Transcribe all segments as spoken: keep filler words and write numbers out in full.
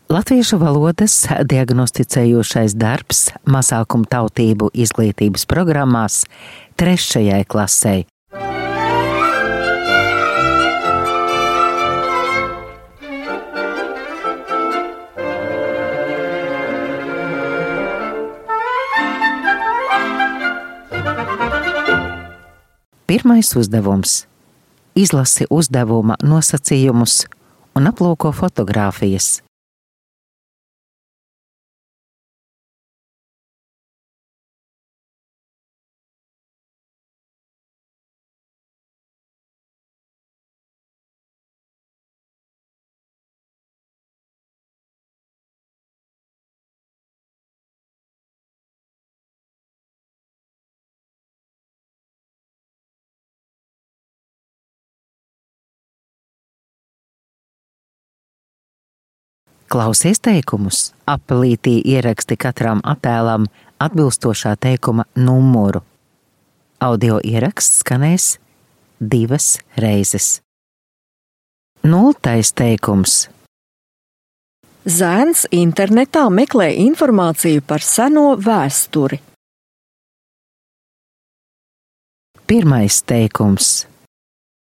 Latviešu valodas diagnosticējošais darbs mazākumu tautību izglītības programmās trešajai klasei. Pirmais uzdevums – izlasi uzdevuma nosacījumus un aplūko fotogrāfijas. Klausies teikumus, apelītī ieraksti katram attēlam atbilstošā teikuma numuru. Audio ieraksts skanēs divas reizes. Nultais teikums. Zēns internetā meklē informāciju par seno vēsturi. Pirmais teikums.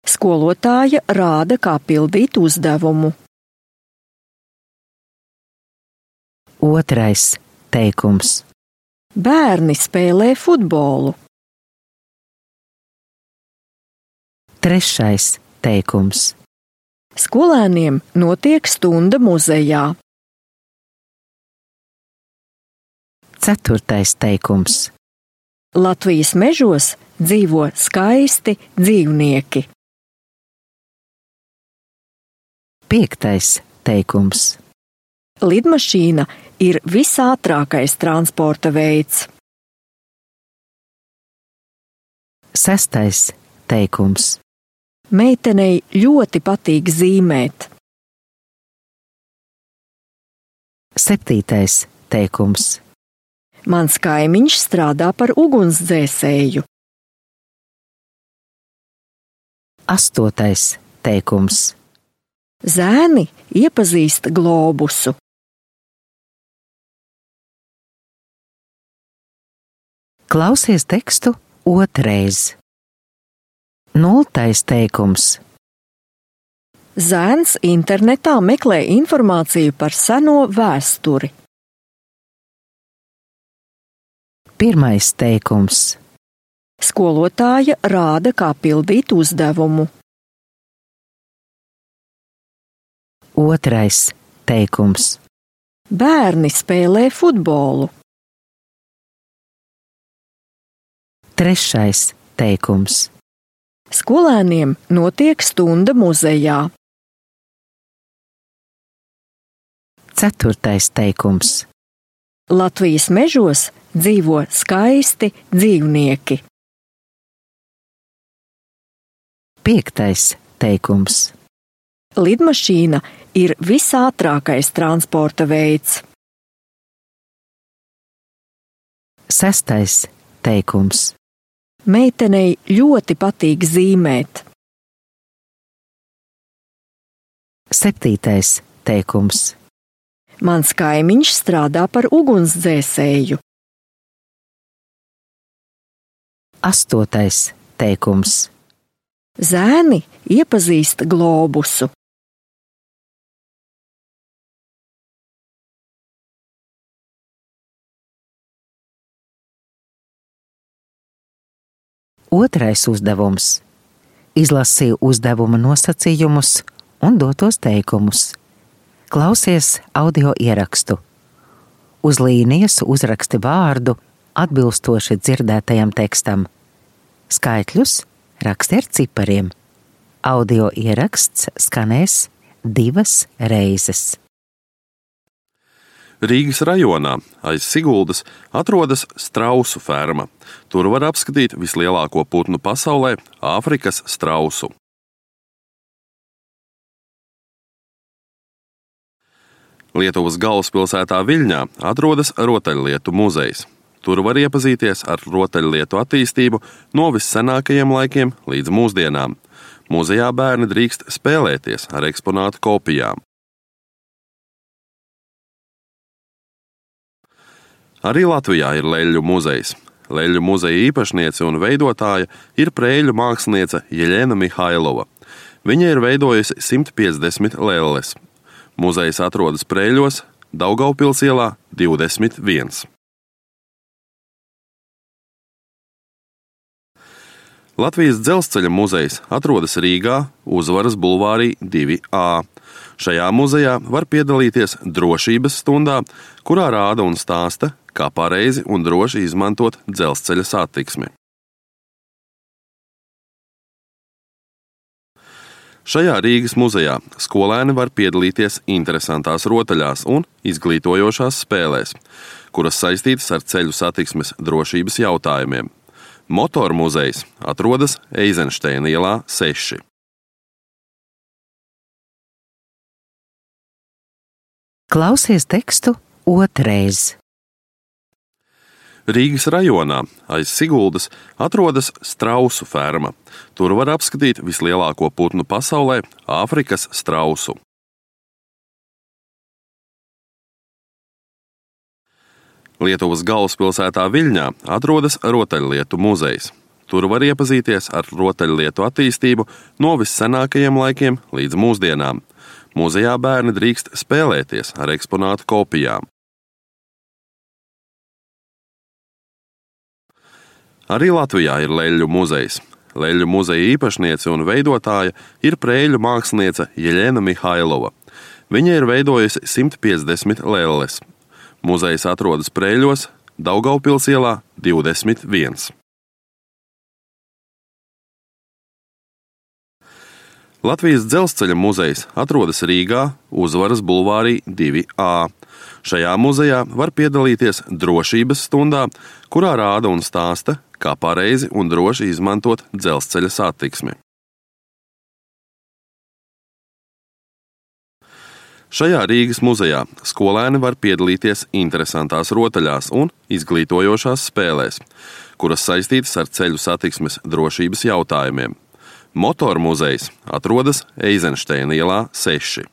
Skolotāja rāda, kā pildīt uzdevumu. Otrais teikums. Bērni spēlē futbolu. Trešais teikums. Skolēniem notiek stunda muzejā. Ceturtais teikums. Latvijas mežos dzīvo skaisti dzīvnieki. Piektais teikums. Lidmašīna ir visātrākais transporta veids. Sestais teikums. Meitenei ļoti patīk zīmēt. Septītais teikums. Mans kaimiņš strādā par ugunsdzēsēju. Astotais teikums. Zēni iepazīst globusu. Klausies tekstu otrais. Nultais teikums. Zēns internetā meklē informāciju par seno vēsturi. Pirmais teikums. Skolotāja rāda, kā pildīt uzdevumu. Otrais teikums. Bērni spēlē futbolu. Trešais teikums. Skolēniem notiek stunda muzejā. Ceturtais teikums. Latvijas mežos dzīvo skaisti dzīvnieki. Piektais teikums. Lidmašīna ir visātrākais transporta veids. Sestais teikums. Meitenei ļoti patīk zīmēt. Septītais teikums. Mans kaimiņš strādā par ugunsdzēsēju. Astotais teikums. Zēni iepazīst globusu. Otrais uzdevums. Izlasi uzdevuma nosacījumus un dotos teikumus. Klausies audio ierakstu. Uz līnijas uzraksti vārdu atbilstoši dzirdētajam tekstam. Skaitļus raksti ar cipariem. Audio ieraksts skanēs divas reizes. Rīgas rajonā aiz Siguldas atrodas strausu ferma. Tur var apskatīt vislielāko putnu pasaulē – Āfrikas strausu. Lietuvas galvaspilsētā Viļņā atrodas rotaļlietu muzejs. Tur var iepazīties ar rotaļlietu attīstību no vissenākajiem laikiem līdz mūsdienām. Muzejā bērni drīkst spēlēties ar eksponātu kopijām. Arī Latvijā ir Leļļu muzejs. Leļļu muzeja īpašniece un veidotāja ir prēļu māksliniece Jeļena Mihailova. Viņa ir veidojusi simt piecdesmit lelles. Muzejs atrodas Preiļos, Daugavpils ielā divdesmit viens. Latvijas dzelzceļa muzejs atrodas Rīgā, Uzvaras bulvārī divi A. Šajā muzejā var piedalīties drošības stundā, kurā rāda un stāsta, kā pareizi un droši izmantot dzelzceļa satiksmi. Šajā Rīgas muzejā skolēni var piedalīties interesantās rotaļās un izglītojošās spēlēs, kuras saistītas ar ceļu satiksmes drošības jautājumiem. Motoru muzejs atrodas Eizenšteina ielā seši. Klausies tekstu otrais. Rīgas rajonā aiz Siguldas atrodas strausu ferma. Tur var apskatīt vislielāko putnu pasaulē – Āfrikas strausu. Lietuvas galvaspilsētā Viļņā atrodas rotaļlietu muzejs. Tur var iepazīties ar rotaļlietu attīstību no vissenākajiem laikiem līdz mūsdienām. Muzejā bērni drīkst spēlēties ar eksponātu kopijām. Arī Latvijā ir Leļļu muzejs. Leļļu muzeja īpašniece un veidotāja ir prēļu māksliniece Jeļena Mihailova. Viņa ir veidojusi simt piecdesmit lelles. Muzejs atrodas Preiļos, Daugavpils ielā divdesmit viens. Latvijas dzelzceļa muzejs atrodas Rīgā, Uzvaras bulvārī divi A. Šajā muzejā var piedalīties drošības stundā, kurā rāda un stāsta, kā pareizi un droši izmantot dzelzceļa satiksmi. Šajā Rīgas muzejā skolēni var piedalīties interesantās rotaļās un izglītojošās spēlēs, kuras saistītas ar ceļu satiksmes drošības jautājumiem. Motoru muzejs atrodas Eizenšteina ielā seši.